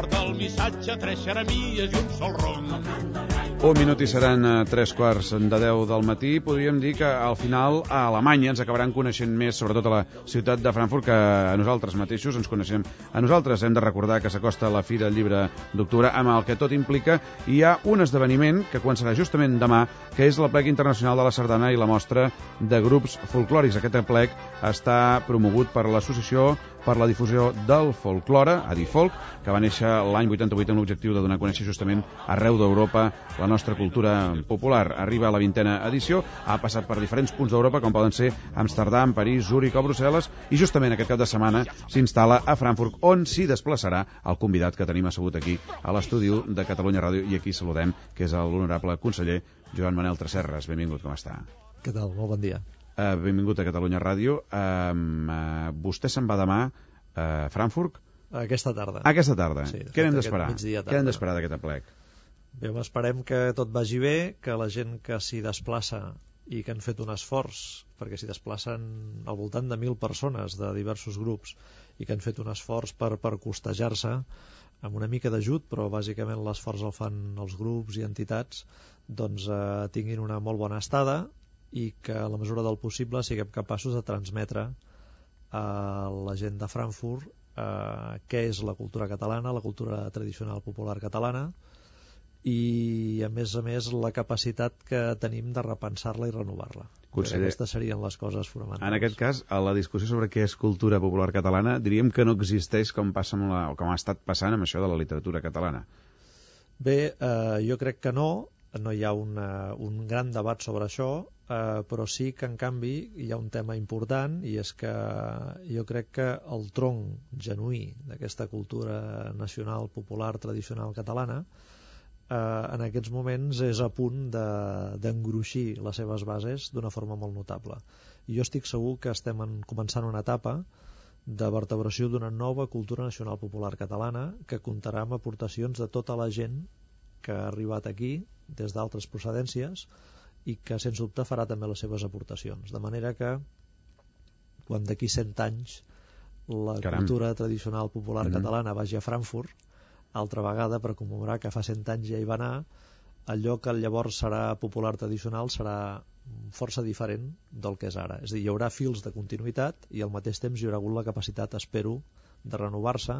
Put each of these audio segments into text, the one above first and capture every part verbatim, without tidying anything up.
porta el missatge, tres xeremies i un sol ronc. Un minut i seran tres quarts de deu del matí. Podríem dir que al final a Alemanya ens acabaran coneixent més, sobretot a la ciutat de Frankfurt, que a nosaltres mateixos ens coneixem. A nosaltres hem de recordar que s'acosta la Fira del Llibre d'Octubre, amb el que tot implica. Hi ha un esdeveniment que començarà justament demà, que és l'Aplec Internacional de la Sardana i la Mostra de Grups Folclòrics. Aquest aplec està promogut per l'Associació per la Difusió del Folklore, Adifolk, que va néixer l'any vuitanta-vuit amb l'objectiu de donar a conèixer justament arreu d'Europa la nostra cultura popular. Arriba a la vintena edició, ha passat per diferents punts d'Europa, com poden ser Amsterdam, París, Zúrich o Brussel·les, i justament aquest cap de setmana s'instal·la a Frankfurt, on s'hi desplaçarà el convidat que tenim assegut aquí a l'estudi de Catalunya Ràdio, i aquí saludem, que és l'honorable conseller Joan Manel Tresserras. Benvingut, com està? Què tal? Molt bon dia. Uh, benvingut a Catalunya Ràdio. Uh, uh, vostè se'n va demà a Frankfurt? Aquesta tarda. Aquesta tarda. Sí, Què n'hem d'esperar? Què n'hem d'esperar d'aquest aplec? Bé, esperem que tot vagi bé, que la gent que s'hi desplaça i que han fet un esforç, perquè s'hi desplacen al voltant de mil persones de diversos grups i que han fet un esforç per, per costejar-se amb una mica d'ajut, però bàsicament l'esforç el fan els grups i entitats, doncs eh, tinguin una molt bona estada i que a la mesura del possible siguem capaços de transmetre a la gent de Frankfurt eh, què és la cultura catalana, la cultura tradicional popular catalana, i a més a més la capacitat que tenim de repensar-la i renovar-la. Conseller, aquestes serien les coses fonamentals. En aquest cas, a la discussió sobre què és cultura popular catalana, diríem que no existeix com passa amb la, o com ha estat passant amb això de la literatura catalana. Bé, eh, jo crec que no, no hi ha una, un gran debat sobre això, eh, però sí que en canvi hi ha un tema important, i és que jo crec que el tronc genuí d'aquesta cultura nacional, popular, tradicional catalana eh, en aquests moments és a punt d'engruixir de, les seves bases d'una forma molt notable. I jo estic segur que estem en, començant una etapa de vertebració d'una nova cultura nacional popular catalana que comptarà amb aportacions de tota la gent que ha arribat aquí des d'altres procedències i que sens dubte farà també les seves aportacions, de manera que quan d'aquí cent anys la Caram. cultura tradicional popular mm-hmm. catalana vagi a Frankfurt altra vegada per commemorar que fa cent anys ja hi va anar, allò que llavors serà popular tradicional serà força diferent del que és ara. És a dir, hi haurà fils de continuïtat i al mateix temps hi haurà hagut la capacitat, espero, de renovar-se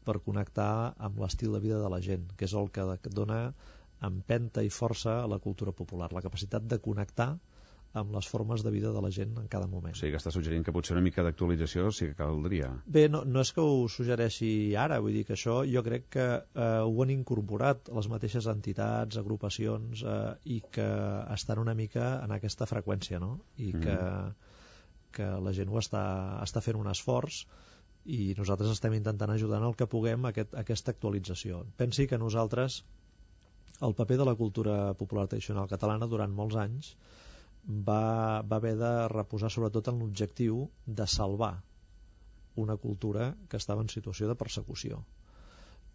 per connectar amb l'estil de vida de la gent, que és el que dona empenta i força a la cultura popular, la capacitat de connectar amb les formes de vida de la gent en cada moment. O sigui que està suggerint que potser una mica d'actualització sí que caldria. Bé, no, no és que ho suggereixi ara, vull dir que això jo crec que eh, ho han incorporat les mateixes entitats, agrupacions eh, i que estan una mica en aquesta freqüència, no? I que, mm. que la gent ho està, està fent un esforç i nosaltres estem intentant ajudar en el que puguem aquest, aquesta actualització. Pensi que nosaltres el paper de la cultura popular tradicional catalana durant molts anys va, va haver de reposar sobretot en l'objectiu de salvar una cultura que estava en situació de persecució,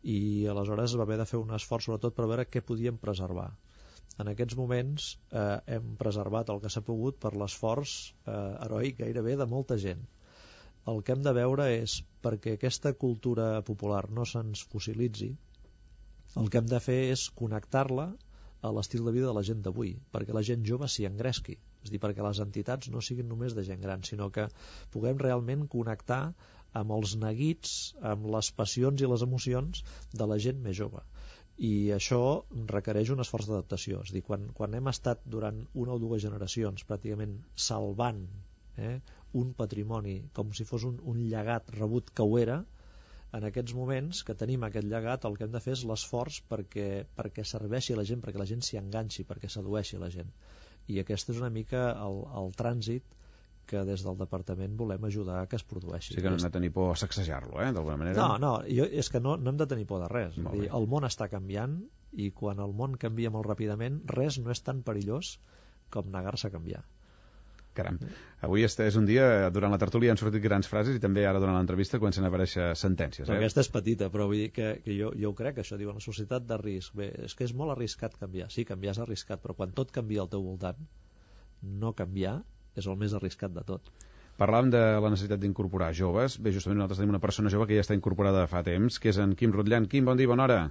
i aleshores va haver de fer un esforç sobretot per veure què podíem preservar. En aquests moments eh, hem preservat el que s'ha pogut per l'esforç eh, heroic gairebé de molta gent. El que hem de veure és, perquè aquesta cultura popular no se'ns fossilitzi, el que hem de fer és connectar-la a l'estil de vida de la gent d'avui, perquè la gent jove s'hi engresqui, és a dir, perquè les entitats no siguin només de gent gran, sinó que puguem realment connectar amb els neguits, amb les passions i les emocions de la gent més jove. I això requereix un esforç d'adaptació, és a dir, quan, quan hem estat durant una o dues generacions pràcticament salvant eh, un patrimoni com si fos un, un llegat rebut que ho era, en aquests moments que tenim aquest llegat el que hem de fer és l'esforç perquè, perquè serveixi a la gent, perquè la gent s'hi enganxi, perquè sedueixi la gent. I aquest és una mica el, el trànsit que des del departament volem ajudar a que es produeixi. Sí que no hem de tenir por a sacsejar-lo, eh, d'alguna manera. No, no, jo, és que no, no hem de tenir por de res. Dir, el món està canviant i quan el món canvia molt ràpidament res no és tan perillós com negar-se a canviar. Caram, avui este és un dia, durant la tertúlia han sortit grans frases i també ara durant l'entrevista comencen a aparèixer sentències. Eh? Aquesta és petita, però vull dir que, que jo, jo ho crec, això diu, una societat de risc. Bé, és que és molt arriscat canviar. Sí, canviar és arriscat, però quan tot canvia al teu voltant, no canviar és el més arriscat de tot. Parlàvem de la necessitat d'incorporar joves. Bé, justament nosaltres tenim una persona jove que ja està incorporada fa temps, que és en Quim Rutllan. Quim, bon dia, bona hora.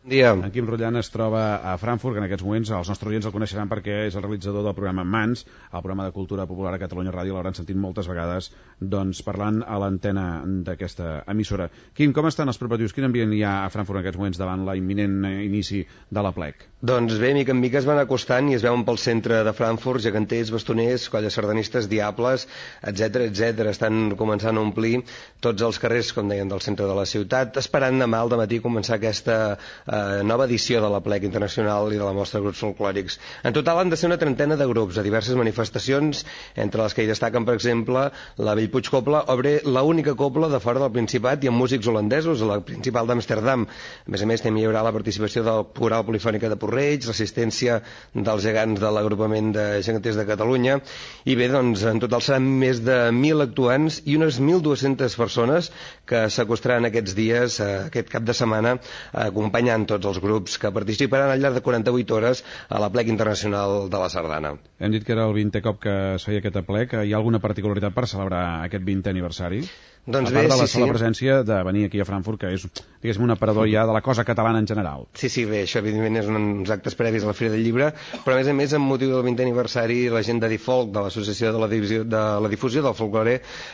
Dia. En Quim Rutllan es troba a Frankfurt, que en aquests moments els nostres oients el coneixeran perquè és el realitzador del programa Mans, el programa de cultura popular a Catalunya Ràdio, l'hauran sentit moltes vegades doncs, parlant a l'antena d'aquesta emissora. Quim, com estan els preparatius? Quin ambient hi ha a Frankfurt en aquests moments davant l'imminent inici de la plec? Doncs bé, mica en mica es van acostant i es veuen pel centre de Frankfurt geganters, bastoners, colles sardanistes, diables, etcètera, etcètera. Estan començant a omplir tots els carrers, com deien, del centre de la ciutat, esperant demà al dematí començar aquesta eh, nova edició de la plec internacional i de la mostra de grups folclòrics. En total han de ser una trentena de grups a diverses manifestacions, entre les que hi destaquen, per exemple, la Bellpuig Copla, obre l'única copla de fora del Principat i amb músics holandesos, la principal d'Amsterdam. A més a més, també hi haurà la participació del Coral Polifònica de Porreig, l'assistència dels gegants de l'agrupament de geganters de Catalunya, i bé, doncs, en total seran més de mil actuants i unes mil dues-centes persones que s'acostaran aquests dies, aquest cap de setmana, acompanyant tots els grups que participaran al llarg de quaranta-vuit hores a la plec internacional de la sardana. Hem dit que era el vintè cop que es feia aquesta plec. Hi ha alguna particularitat per celebrar aquest vintè aniversari? Doncs a part bé, de la sí, sola sí. presència de venir aquí a Frankfurt, que és, diguéssim, un aparador ja de la cosa catalana en general. Sí, sí, bé, això evidentment és uns actes previs a la Fira del Llibre, però a més a més, amb motiu del vintè aniversari, la gent de Difolk, de l'Associació de la Divisió, de la Difusió del Folklore,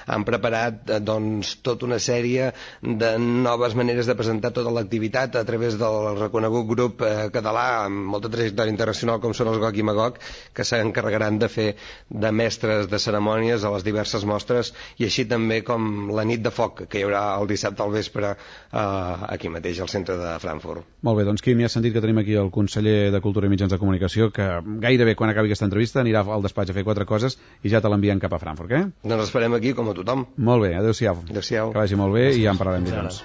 han preparat eh, doncs, tota una sèrie de noves maneres de presentar tota l'activitat a través del reconegut grup eh, català amb molta trajectòria internacional com són els Gog i Magog, que s'encarregaran de fer de mestres de cerimònies a les diverses mostres, i així també com la nit de foc que hi haurà el dissabte al vespre eh, aquí mateix al centre de Frankfurt. Molt bé, doncs Quim, ja has sentit que tenim aquí el conseller de Cultura i Mitjans de Comunicació, que gairebé quan acabi aquesta entrevista anirà al despatx a fer quatre coses i ja te l'envien cap a Frankfurt, eh? Doncs esperem aquí com a tothom. Molt bé, adéu-siau. Adéu-siau. Que vagi molt bé i ja en parlarem dilluns.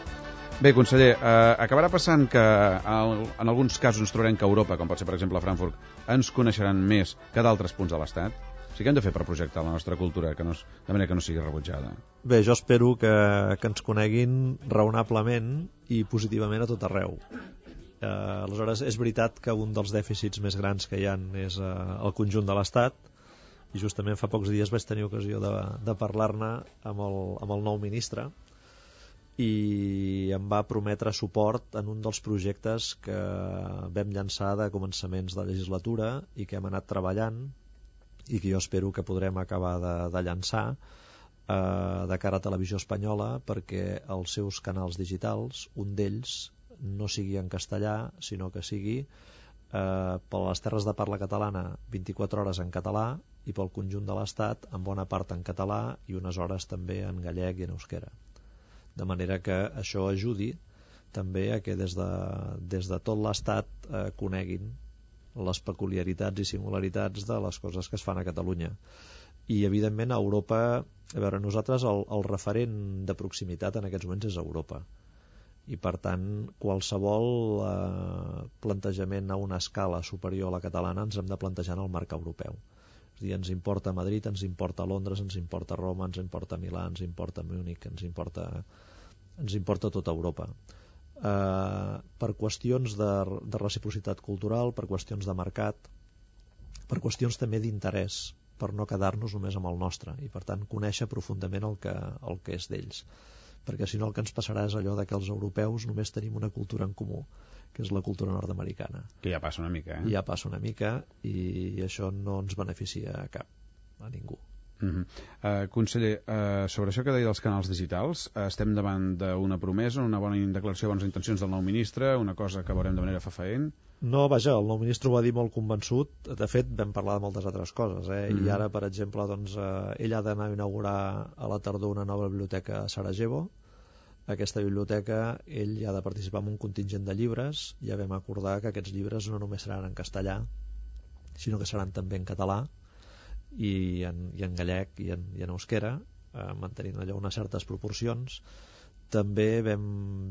Bé, conseller, eh, acabarà passant que en, en alguns casos ens trobarem que Europa, com pot ser per exemple a Frankfurt, ens coneixeran més que d'altres punts de l'Estat? O sigui, què hem de fer per projectar la nostra cultura que no, de manera que no sigui rebutjada? Bé, jo espero que, que ens coneguin raonablement i positivament a tot arreu. Eh, aleshores, és veritat que un dels dèficits més grans que hi ha és eh, el conjunt de l'Estat, i justament fa pocs dies vaig tenir ocasió de, de parlar-ne amb, el, amb el nou ministre, i em va prometre suport en un dels projectes que vam llançar de començaments de legislatura i que hem anat treballant i que jo espero que podrem acabar de, de llançar eh, de cara a Televisió Espanyola, perquè els seus canals digitals, un d'ells no sigui en castellà, sinó que sigui eh, per les terres de parla catalana vint-i-quatre hores en català i pel conjunt de l'Estat en bona part en català i unes hores també en gallec i en euskera. De manera que això ajudi també a que des de, des de tot l'Estat eh, coneguin les peculiaritats i singularitats de les coses que es fan a Catalunya. I evidentment a Europa, a veure, nosaltres el, el referent de proximitat en aquests moments és Europa, i per tant qualsevol eh, plantejament a una escala superior a la catalana ens hem de plantejar en el marc europeu. És a dir, ens importa Madrid, ens importa Londres, ens importa Roma, ens importa Milà, ens importa Múnich, ens importa, ens importa tota Europa. Uh, per qüestions de, de reciprocitat cultural, per qüestions de mercat, per qüestions també d'interès, per no quedar-nos només amb el nostre, i per tant conèixer profundament el que, el que és d'ells, perquè si no el que ens passarà és allò de que els europeus només tenim una cultura en comú, que és la cultura nord-americana, que ja passa una mica, eh? ja passa una mica, i això no ens beneficia a cap, a ningú. Uh-huh. uh, conseller, uh, sobre això que deia dels canals digitals, uh, estem davant d'una promesa, una bona declaració de bones intencions del nou ministre, una cosa que veurem de manera fefaent? No, vaja, el nou ministre ho va dir molt convençut. De fet, vam parlar de moltes altres coses, eh? Mm-hmm. I ara, per exemple, doncs, eh, ell ha d'anar a inaugurar a la tardor una nova biblioteca a Sarajevo. Aquesta biblioteca, ell ha de participar en un contingent de llibres. Ja vam acordar que aquests llibres no només seran en castellà, sinó que seran també en català i en, i en gallec i en, i en euskera, eh, mantenint allò unes certes proporcions. També vam,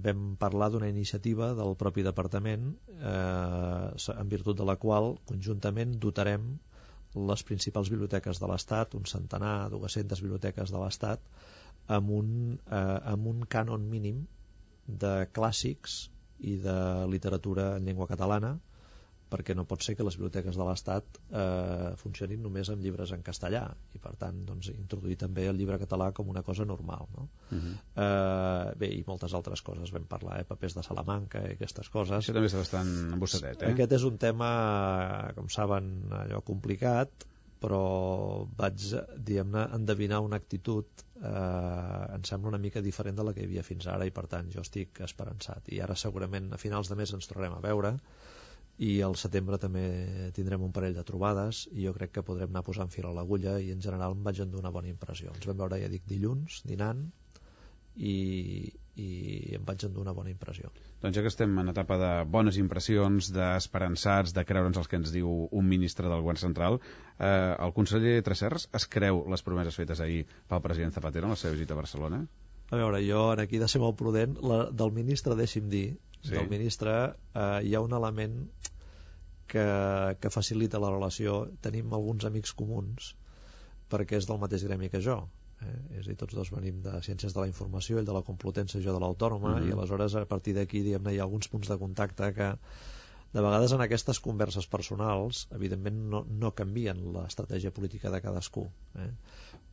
vam parlar d'una iniciativa del propi departament eh, en virtut de la qual conjuntament dotarem les principals biblioteques de l'Estat, un centenar, dues-centes biblioteques de l'Estat, amb un, eh, amb un cànon mínim de clàssics i de literatura en llengua catalana, perquè no pot ser que les biblioteques de l'Estat eh, funcionin només amb llibres en castellà i per tant doncs, introduir també el llibre català com una cosa normal, no? Uh-huh. eh, bé, i moltes altres coses vam parlar, eh? Papers de Salamanca i aquestes coses. Això també està bastant embossadet, eh? Aquest és un tema, com saben, allò complicat, però vaig, diguem-ne, endevinar una actitud eh, em sembla una mica diferent de la que hi havia fins ara i per tant jo estic esperançat i ara segurament a finals de mes ens tornarem a veure i al setembre també tindrem un parell de trobades i jo crec que podrem anar posant fil a l'agulla i en general em vaig endur una bona impressió. Ens vam veure, ja dic, dilluns dinant i, i em vaig endur una bona impressió. Doncs ja que estem en etapa de bones impressions, d'esperançats, de creure'ns el que ens diu un ministre del govern central, eh, el conseller Tresserras es creu les promeses fetes ahir pel president Zapatero en la seva visita a Barcelona? A veure, jo aquí he de ser molt prudent. La, del ministre, deixi'm dir, sí. del ministre eh, hi ha un element que, que facilita la relació. Tenim alguns amics comuns perquè és del mateix gremi que jo, eh? És a dir, tots dos venim de Ciències de la Informació, ell de la Complutense i jo de l'Autònoma, mm-hmm. i aleshores a partir d'aquí diguem-ne hi ha alguns punts de contacte que de vegades en aquestes converses personals evidentment no, no canvien l'estratègia política de cadascú, eh?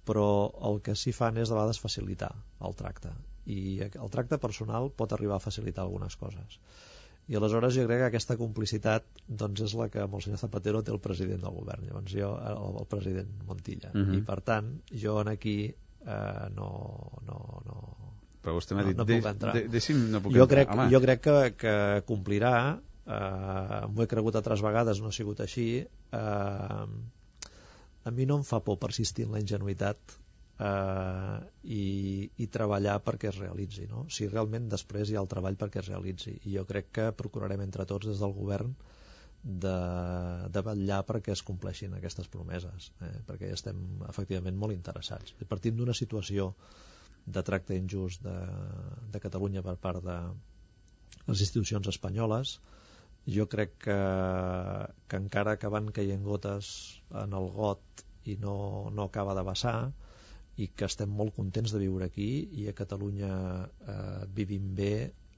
Però el que sí fan és de vegades facilitar el tracte i el tracte personal pot arribar a facilitar algunes coses i aleshores jo crec que aquesta complicitat doncs és la que amb el senyor Zapatero té el president del govern, llavors jo el, el president Montilla, uh-huh. i per tant jo en aquí eh, no, no, no però vostè m'ha dit, no, no puc entrar. De, de, deixi'm, no puc jo entrar. crec, jo crec que, que complirà, eh, m'ho he cregut altres vegades, no ha sigut així. eh, a mi no em fa por persistir en la ingenuïtat eh, i, i treballar perquè es realitzi, no? Si realment després hi ha el treball perquè es realitzi, i jo crec que procurarem entre tots des del govern de, de vetllar perquè es compleixin aquestes promeses, eh? Perquè estem efectivament molt interessats. Partim d'una situació de tracte injust de, de Catalunya per part de les institucions espanyoles. Jo crec que, que encara que van caient gotes en el got i no, no acaba de vessar, i que estem molt contents de viure aquí i a Catalunya eh, vivim bé,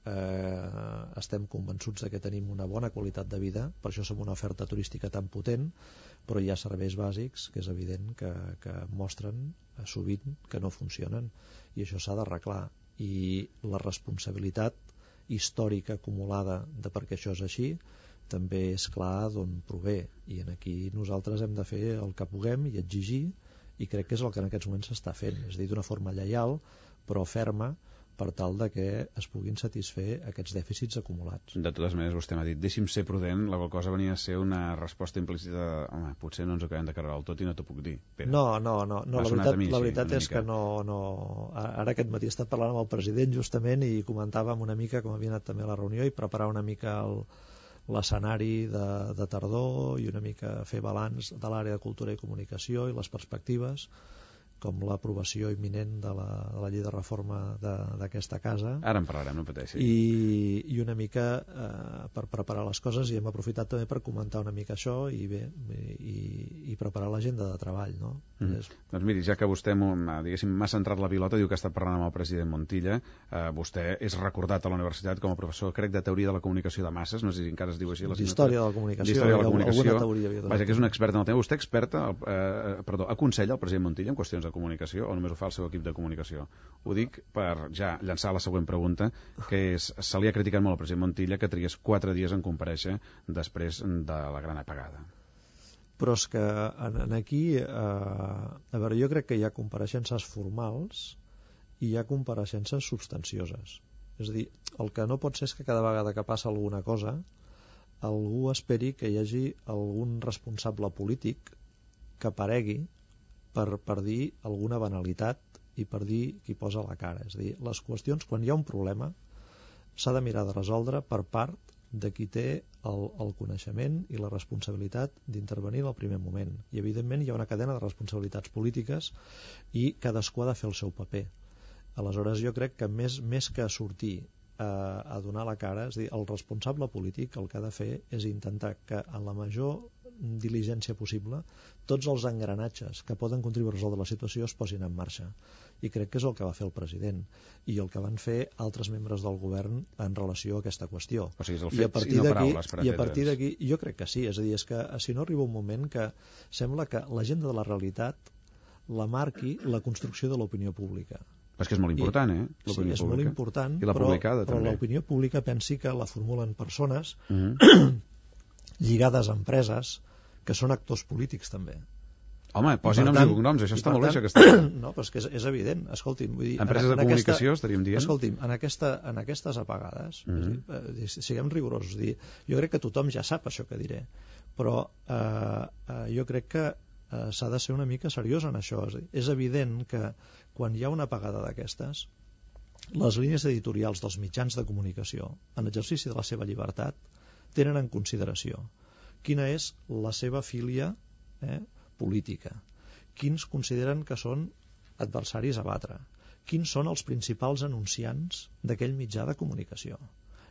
eh, estem convençuts de que tenim una bona qualitat de vida, per això som una oferta turística tan potent, però hi ha serveis bàsics que és evident que, que mostren eh, sovint que no funcionen i això s'ha d'arreglar, i la responsabilitat històrica acumulada de perquè això és així també és clar d'on prové, i en aquí nosaltres hem de fer el que puguem i exigir, i crec que és el que en aquests moments s'està fent, és a dir, d'una forma lleial però ferma, per tal de que es puguin satisfer aquests dèficits acumulats. De totes maneres, vostè m'ha dit, deixi'm ser prudent, la qual cosa venia a ser una resposta implícita de, home, potser no ens acabem de carregar del tot i no t'ho puc dir. Pere. No, no, no, no la veritat, mi, la veritat sí, és que no, no... Ara aquest matí he estat parlant amb el president justament i comentàvem una mica com havia anat també a la reunió i preparar una mica el, l'escenari de, de tardor i una mica fer balanç de l'àrea de cultura i comunicació i les perspectives, com l'aprovació imminent de la, de la llei de reforma d'aquesta casa. Ara en parlarem, no pateixi. I, i una mica eh, per preparar les coses, i hem aprofitat també per comentar una mica això i bé, i, i preparar l'agenda de treball, no? Mm. És... Doncs miri, ja que vostè m'ha centrat la pilota, diu que ha estat parlant amb el president Montilla, eh, vostè és recordat a la universitat com a professor, crec, de teoria de la comunicació de masses, no sé si encara es diu així. D'història de la comunicació. D'història de la comunicació. Alguna teoria havia de... Vaja, que és un expert en el tema. Vostè experta, eh, perdó, aconsella el president Montilla en qüestions de comunicació o només ho fa el seu equip de comunicació? Ho dic per ja llançar la següent pregunta, que és, se li ha criticat molt al president Montilla que trigués quatre dies en comparèixer després de la gran apagada. Però és que en, en aquí eh, a veure, jo crec que hi ha compareixences formals i hi ha compareixences substancioses, és a dir, el que no pot ser és que cada vegada que passa alguna cosa algú esperi que hi hagi algun responsable polític que aparegui Per, per dir alguna banalitat i per dir qui posa la cara. És a dir, les qüestions, quan hi ha un problema, s'ha de mirar de resoldre per part de qui té el, el coneixement i la responsabilitat d'intervenir en el primer moment. I, evidentment, hi ha una cadena de responsabilitats polítiques i cadascú ha de fer el seu paper. Aleshores, jo crec que més, més que sortir a, a donar la cara, és a dir, el responsable polític el que ha de fer és intentar que en la major diligència possible, tots els engranatges que poden contribuir a resoldre la situació es posin en marxa. I crec que és el que va fer el president i el que van fer altres membres del govern en relació a aquesta qüestió. O sigui, és el I a fet partir i no d'aquí, paraules, per i a partir entendre'ns. d'aquí, jo crec que sí, és a dir, és que si no arriba un moment que sembla que l'agenda de la realitat la marqui la construcció de l'opinió pública. Però és que és molt important, eh? Sí, és molt important, I la però, publicada, però també. l'opinió pública pensi que la formulen persones Mm -hmm. lligades a empreses que són actors polítics també. Home, posin noms i cognoms, això està molt bé, això que està... està... No, però és que és, és evident. Escolti'm, vull dir... Empreses en, de en comunicació, aquesta, estaríem dient? Escolti'm, en, aquesta, en aquestes apagades, mm -hmm. és dir, siguem rigorosos, dir, jo crec que tothom ja sap això que diré, però eh, eh, jo crec que eh, s'ha de ser una mica seriós en això. És, dir, és evident que quan hi ha una apagada d'aquestes, les línies editorials dels mitjans de comunicació, en exercici de la seva llibertat, tenen en consideració quina és la seva filia eh, política, quins consideren que són adversaris a batre, quins són els principals anunciants d'aquell mitjà de comunicació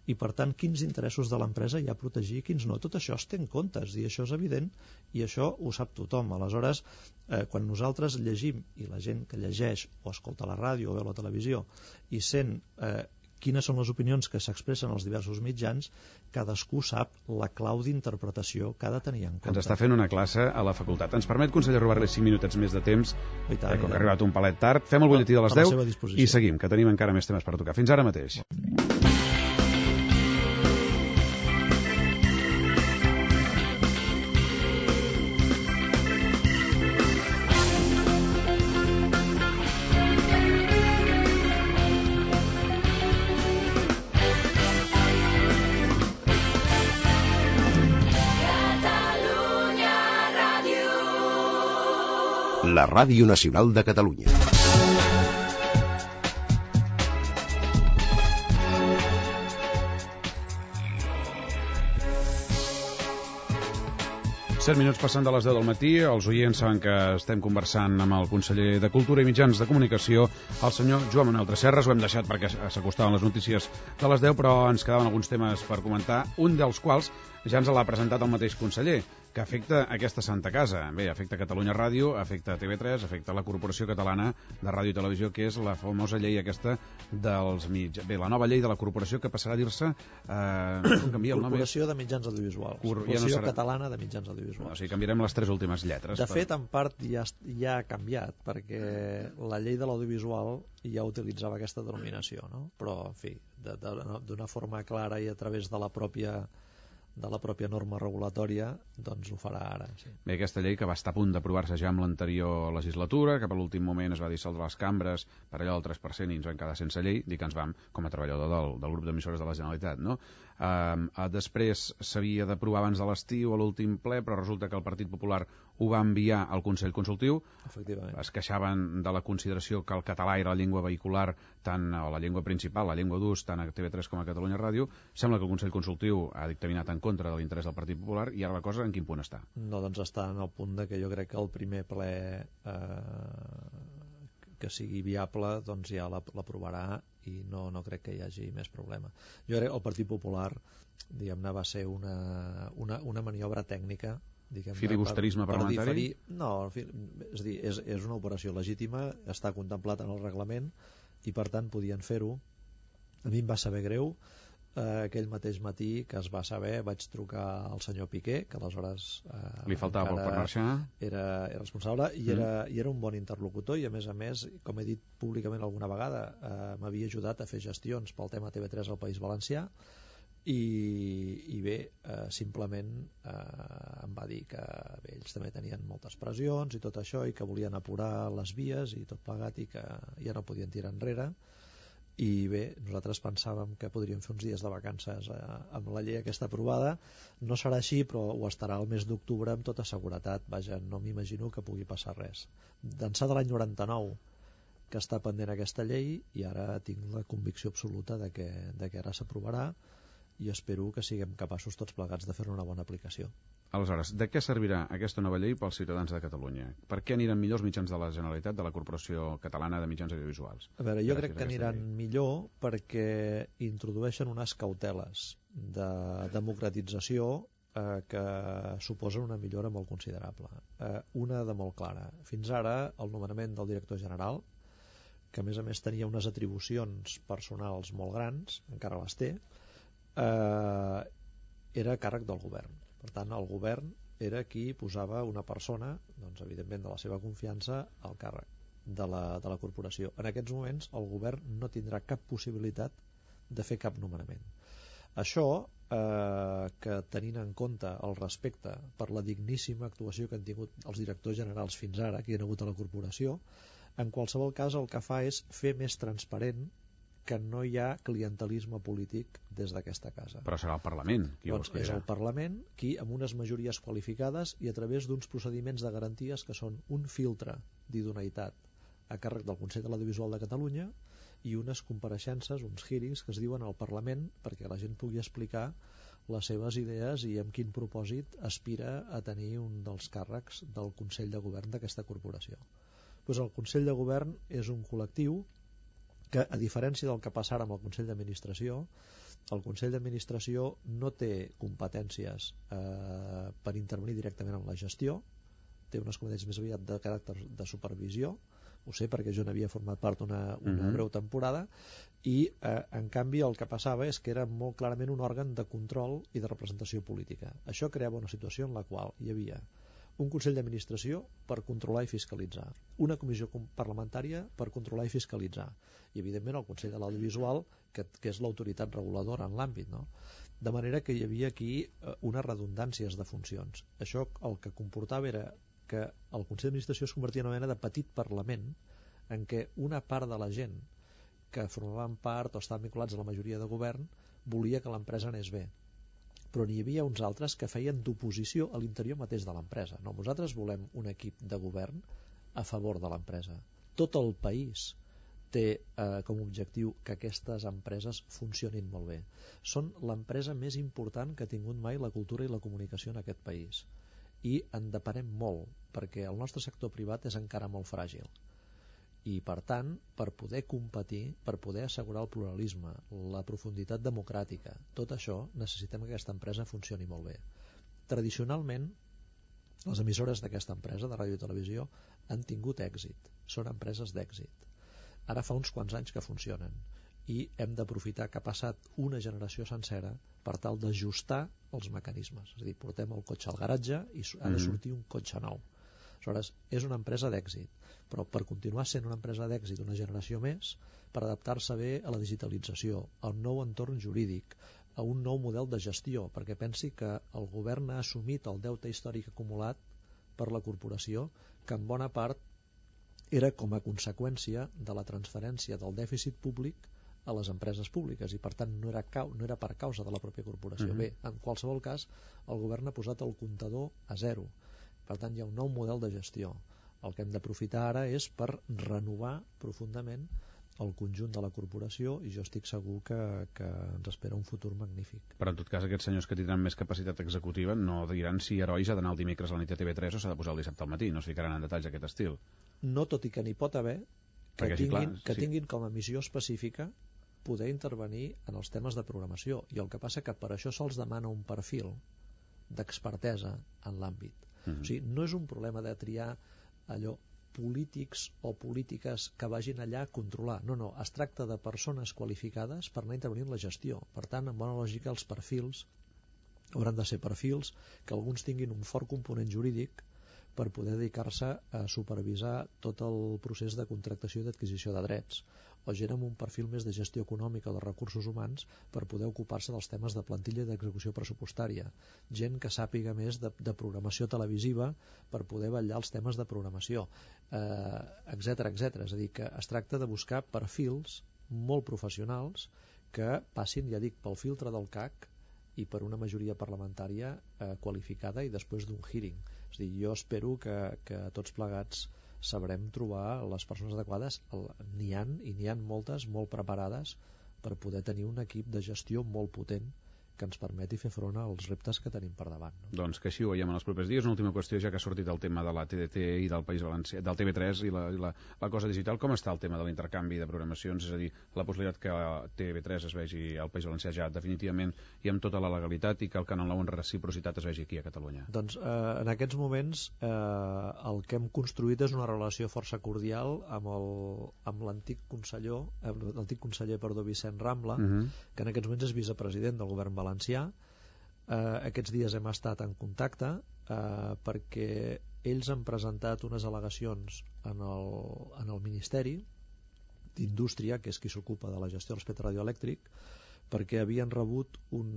i per tant quins interessos de l'empresa hi ha a protegir i quins no. Tot això es té en compte, és dir, això és evident i això ho sap tothom. Aleshores, eh, quan nosaltres llegim i la gent que llegeix o escolta la ràdio o veu la televisió i sent eh, quines són les opinions que s'expressen als diversos mitjans, cadascú sap la clau d'interpretació que ha de tenir en compte. Ens està fent una classe a la facultat. Ens permet, conseller, robar-li cinc minutets més de temps, I tant, eh, com que i ha arribat un palet tard. Fem el butlletí de les a la deu seva disposició. i seguim, que tenim encara més temes per tocar. Fins ara mateix. La Ràdio Nacional de Catalunya. set minuts passant de les deu del matí, els oients saben que estem conversant amb el conseller de Cultura i Mitjans de Comunicació, el senyor Joan Manuel Tresserras. Ho hem deixat perquè s'acostaven les notícies de les deu, però ens quedaven alguns temes per comentar, un dels quals ja ens l'ha presentat el mateix conseller, que afecta aquesta santa casa. Bé, afecta Catalunya Ràdio, afecta T V tres, afecta la Corporació Catalana de Ràdio i Televisió, que és la famosa llei aquesta dels mitjans. Bé, la nova llei de la Corporació que passarà a dir-se... Eh, com canvia el nom? Corporació de Mitjans Audiovisuals. Cor... Corporació ja no serà... Catalana de Mitjans Audiovisuals. No, o sigui, canviarem les tres últimes lletres. De per... fet, en part ja, ja ha canviat, perquè la llei de l'audiovisual ja utilitzava aquesta denominació, no? Però, en fi, d'una forma clara i a través de la pròpia de la pròpia norma regulatòria, doncs ho farà ara. Sí. Bé, aquesta llei que va estar a punt d'aprovar-se ja amb l'anterior legislatura, que per l'últim moment es va dissoldre les cambres per allò del tres per cent i ens vam quedar sense llei, dic que ens vam com a treballador del, del grup d'emissores de la Generalitat, no? Uh, uh, després s'havia d'aprovar abans de l'estiu a l'últim ple, però resulta que el Partit Popular ho va enviar al Consell Consultiu. Efectivament. Es queixaven de la consideració que el català era la llengua vehicular, tant, o la llengua principal, la llengua d'ús, tant a T V tres com a Catalunya Ràdio. Sembla que el Consell Consultiu ha dictaminat en contra de l'interès del Partit Popular i ara la cosa en quin punt està? No, doncs està en el punt de que jo crec que el primer ple eh, que sigui viable doncs ja l'aprovarà i no, no crec que hi hagi més problema. Jo crec que el Partit Popular diguem-ne va ser una, una, una maniobra tècnica, filibusterisme per, per parlamentari? Diferir, no, és, dir, és, és una operació legítima, està contemplat en el reglament i per tant podien fer-ho. A mi em va saber greu. Eh, aquell mateix matí que es va saber vaig trucar al senyor Piqué, que aleshores eh, li faltava poc per marxar, era, era responsable i, mm. era, i era un bon interlocutor i a més a més, com he dit públicament alguna vegada, eh, m'havia ajudat a fer gestions pel tema T V tres al País Valencià i, i bé, eh, simplement eh, em va dir que bé, ells també tenien moltes pressions i tot això i que volien apurar les vies i tot plegat i que ja no podien tirar enrere. I bé, nosaltres pensàvem que podríem fer uns dies de vacances eh, amb la llei aquesta aprovada. No serà així, però ho estarà el mes d'octubre amb tota seguretat. Vaja, no m'imagino que pugui passar res. D'ençà de l'any noranta-nou que està pendent aquesta llei i ara tinc la convicció absoluta de que, de que ara s'aprovarà i espero que siguem capaços tots plegats de fer-ne una bona aplicació. Aleshores, de què servirà aquesta nova llei pels ciutadans de Catalunya? Per què aniran millor els mitjans de la Generalitat, de la Corporació Catalana de Mitjans Audiovisuals? A veure, jo crec que aniran millor perquè introdueixen unes cauteles de democratització eh, que suposen una millora molt considerable. Eh, una de molt clara. Fins ara, el nomenament del director general, que a més a més tenia unes atribucions personals molt grans, encara les té, eh, era a càrrec del govern. Per tant, el govern era qui posava una persona, doncs, evidentment de la seva confiança, al càrrec de la, de la corporació. En aquests moments el govern no tindrà cap possibilitat de fer cap nomenament. Això, eh, que tenint en compte el respecte per la digníssima actuació que han tingut els directors generals fins ara, que hi ha hagut a la corporació, en qualsevol cas el que fa és fer més transparent que no hi ha clientelisme polític des d'aquesta casa. Però serà el Parlament qui doncs ho escollirà. És el Parlament qui, amb unes majories qualificades i a través d'uns procediments de garanties que són un filtre d'idoneïtat a càrrec del Consell de l'Audiovisual de Catalunya i unes compareixences, uns hearings que es diuen al Parlament perquè la gent pugui explicar les seves idees i amb quin propòsit aspira a tenir un dels càrrecs del Consell de Govern d'aquesta corporació. Pues el Consell de Govern és un col·lectiu que, a diferència del que passa ara amb el Consell d'Administració, el Consell d'Administració no té competències eh, per intervenir directament en la gestió, té unes competències més aviat de caràcter de supervisió, ho sé perquè jo n'havia format part una, una uh-huh. breu temporada, i eh, en canvi el que passava és que era molt clarament un òrgan de control i de representació política. Això creava una situació en la qual hi havia un Consell d'Administració per controlar i fiscalitzar, una comissió parlamentària per controlar i fiscalitzar, i evidentment el Consell de l'Audiovisual, que, que és l'autoritat reguladora en l'àmbit, no? De manera que hi havia aquí eh, unes redundàncies de funcions. Això el que comportava era que el Consell d'Administració es convertia en una mena de petit Parlament en què una part de la gent que formaven part o estaven vinculats a la majoria de govern volia que l'empresa anés bé, però n'hi havia uns altres que feien d'oposició a l'interior mateix de l'empresa. No, nosaltres volem un equip de govern a favor de l'empresa. Tot el país té eh, com a objectiu que aquestes empreses funcionin molt bé. Són l'empresa més important que ha tingut mai la cultura i la comunicació en aquest país, i en depenem molt perquè el nostre sector privat és encara molt fràgil, i per tant, per poder competir, per poder assegurar el pluralisme, la profunditat democràtica, tot això necessitem que aquesta empresa funcioni molt bé. Tradicionalment les emissores d'aquesta empresa de ràdio i televisió han tingut èxit, són empreses d'èxit. Ara fa uns quants anys que funcionen i hem d'aprofitar que ha passat una generació sencera per tal d'ajustar els mecanismes. És a dir, portem el cotxe al garatge i ha de sortir un cotxe nou. Aleshores, és una empresa d'èxit, però per continuar sent una empresa d'èxit una generació més, per adaptar-se bé a la digitalització, al nou entorn jurídic, a un nou model de gestió, perquè pensi que el govern ha assumit el deute històric acumulat per la corporació, que en bona part era com a conseqüència de la transferència del dèficit públic a les empreses públiques, i per tant no era, cau, no era per causa de la pròpia corporació. Uh-huh. Bé, en qualsevol cas, el govern ha posat el comptador a zero. Per tant, hi ha un nou model de gestió. El que hem d'aprofitar ara és per renovar profundament el conjunt de la corporació, i jo estic segur que, que ens espera un futur magnífic. Però en tot cas aquests senyors que tindran més capacitat executiva no diran si Herois ha d'anar el dimecres a la nit a T V tres o s'ha de posar el dissabte al matí, no es ficaran en detalls d'aquest estil. No, tot i que n'hi pot haver que, Perquè, tinguin, sí, clar, que sí. tinguin com a missió específica poder intervenir en els temes de programació, i el que passa que per això se'ls demana un perfil d'expertesa en l'àmbit. Uh-huh. O sigui, no és un problema de triar allò polítics o polítiques que vagin allà a controlar, no, no, es tracta de persones qualificades per anar a intervenir en la gestió. Per tant, en bona lògica, els perfils hauran de ser perfils que alguns tinguin un fort component jurídic per poder dedicar-se a supervisar tot el procés de contractació i d'adquisició de drets, o gent amb un perfil més de gestió econòmica o de recursos humans per poder ocupar-se dels temes de plantilla i d'execució pressupostària, gent que sàpiga més de, de programació televisiva per poder vetllar els temes de programació, eh, etcètera, etcètera. És a dir, que es tracta de buscar perfils molt professionals que passin, ja dic, pel filtre del C A C i per una majoria parlamentària eh, qualificada, i després d'un hearing. És a dir, jo espero que, que tots plegats sabrem trobar les persones adequades. N'hi ha, i n'hi ha moltes molt preparades per poder tenir un equip de gestió molt potent que ens permeti fer front als reptes que tenim per davant. No? Doncs que així ho veiem en els propers dies. Una última qüestió, ja que ha sortit el tema de la T D T i del País Valencià, del T V tres i, la, i la, la cosa digital. Com està el tema de l'intercanvi de programacions? És a dir, la possibilitat que T V tres es vegi al País Valencià ja definitivament i amb tota la legalitat, i que el Canal nou en reciprocitat es vegi aquí a Catalunya. Doncs eh, en aquests moments eh, el que hem construït és una relació força cordial amb el, amb l'antic conseller, l'antic conseller perdó, Vicent Rambla, uh-huh. que en aquests moments és vicepresident del govern valencià. Eh, aquests dies hem estat en contacte eh, perquè ells han presentat unes al·legacions en el, en el Ministeri d'Indústria, que és qui s'ocupa de la gestió del espectre radioelèctric, perquè havien rebut un,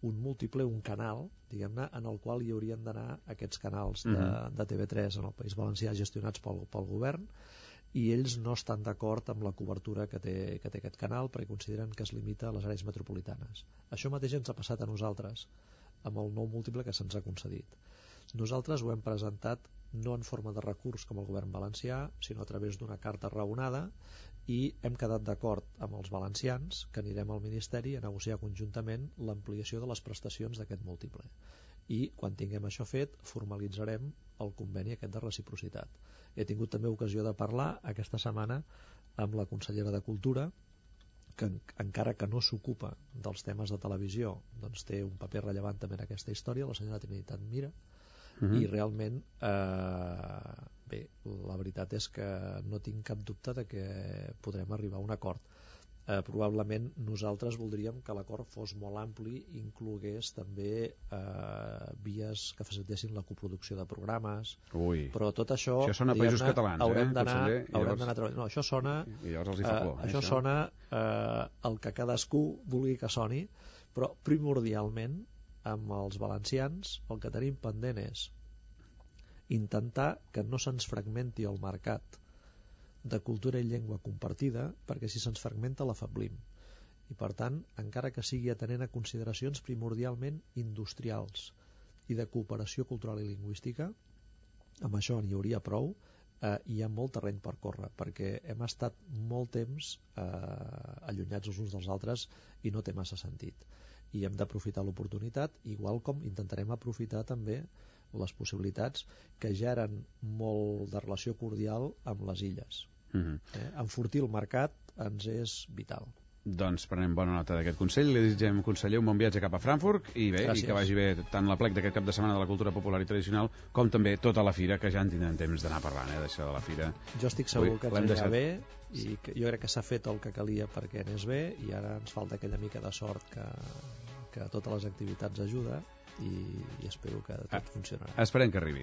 un múltiple, un canal, diguem-ne, en el qual hi haurien d'anar aquests canals de, uh-huh. de T V tres en el País Valencià gestionats pel, pel govern, i ells no estan d'acord amb la cobertura que té, que té aquest canal, perquè consideren que es limita a les àrees metropolitanes. Això mateix ens ha passat a nosaltres amb el nou múltiple que se'ns ha concedit. Nosaltres ho hem presentat no en forma de recurs com el govern valencià, sinó a través d'una carta raonada, i hem quedat d'acord amb els valencians que anirem al Ministeri a negociar conjuntament l'ampliació de les prestacions d'aquest múltiple. I quan tinguem això fet formalitzarem el conveni aquest de reciprocitat. He tingut també ocasió de parlar aquesta setmana amb la consellera de Cultura, que encara que no s'ocupa dels temes de televisió, doncs té un paper rellevant també en aquesta història, la senyora Trinitat Mira, uh-huh. i realment eh, bé, la veritat és que no tinc cap dubte de que podrem arribar a un acord. Eh, probablement nosaltres voldríem que l'acord fos molt ampli i inclogués també eh, vies que facilitessin la coproducció de programes. Ui. Però tot això, això sona a països catalans, haurem eh, d'anar, llavors... haurem d'anar treballant. No, això sona, I llavors els hi fa por, eh, això, això sona eh, el que cadascú vulgui que soni, però primordialment amb els valencians el que tenim pendent és intentar que no se'ns fragmenti el mercat de cultura i llengua compartida, perquè si se'ns fragmenta l'afeblim. I per tant, encara que sigui atenent a consideracions primordialment industrials i de cooperació cultural i lingüística, amb això n'hi hauria prou. Eh, hi ha molt terreny per córrer, perquè hem estat molt temps eh, allunyats els uns dels altres i no té massa sentit. I hem d'aprofitar l'oportunitat, igual com intentarem aprofitar també les possibilitats que ja eren molt de relació cordial amb les illes. Uh-huh. eh? Enfortir el mercat ens és vital. Doncs prenem bona nota d'aquest consell. Li desitgem, conseller, un bon viatge cap a Frankfurt i bé, Gràcies. I que vagi bé tant la plec d'aquest cap de setmana de la cultura popular i tradicional com també tota la fira, que ja en tindrem temps d'anar parlant, eh, d'això de la fira. Jo estic segur Ui, que ens anirà deixat... bé i que jo crec que s'ha fet el que calia perquè anés bé, i ara ens falta aquella mica de sort que, que totes les activitats ajuda, i, i espero que tot ah, funcionarà. Esperem que arribi.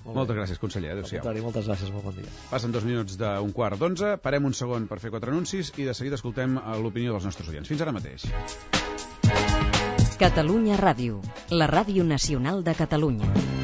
Molt Moltes bé. gràcies, conseller. Adéu-siau. Moltes gràcies, molt bon dia. Passen dos minuts d'un quart d'onze, parem un segon per fer quatre anuncis i de seguida escoltem l'opinió dels nostres oients. Fins ara mateix. Catalunya Ràdio, la ràdio nacional de Catalunya.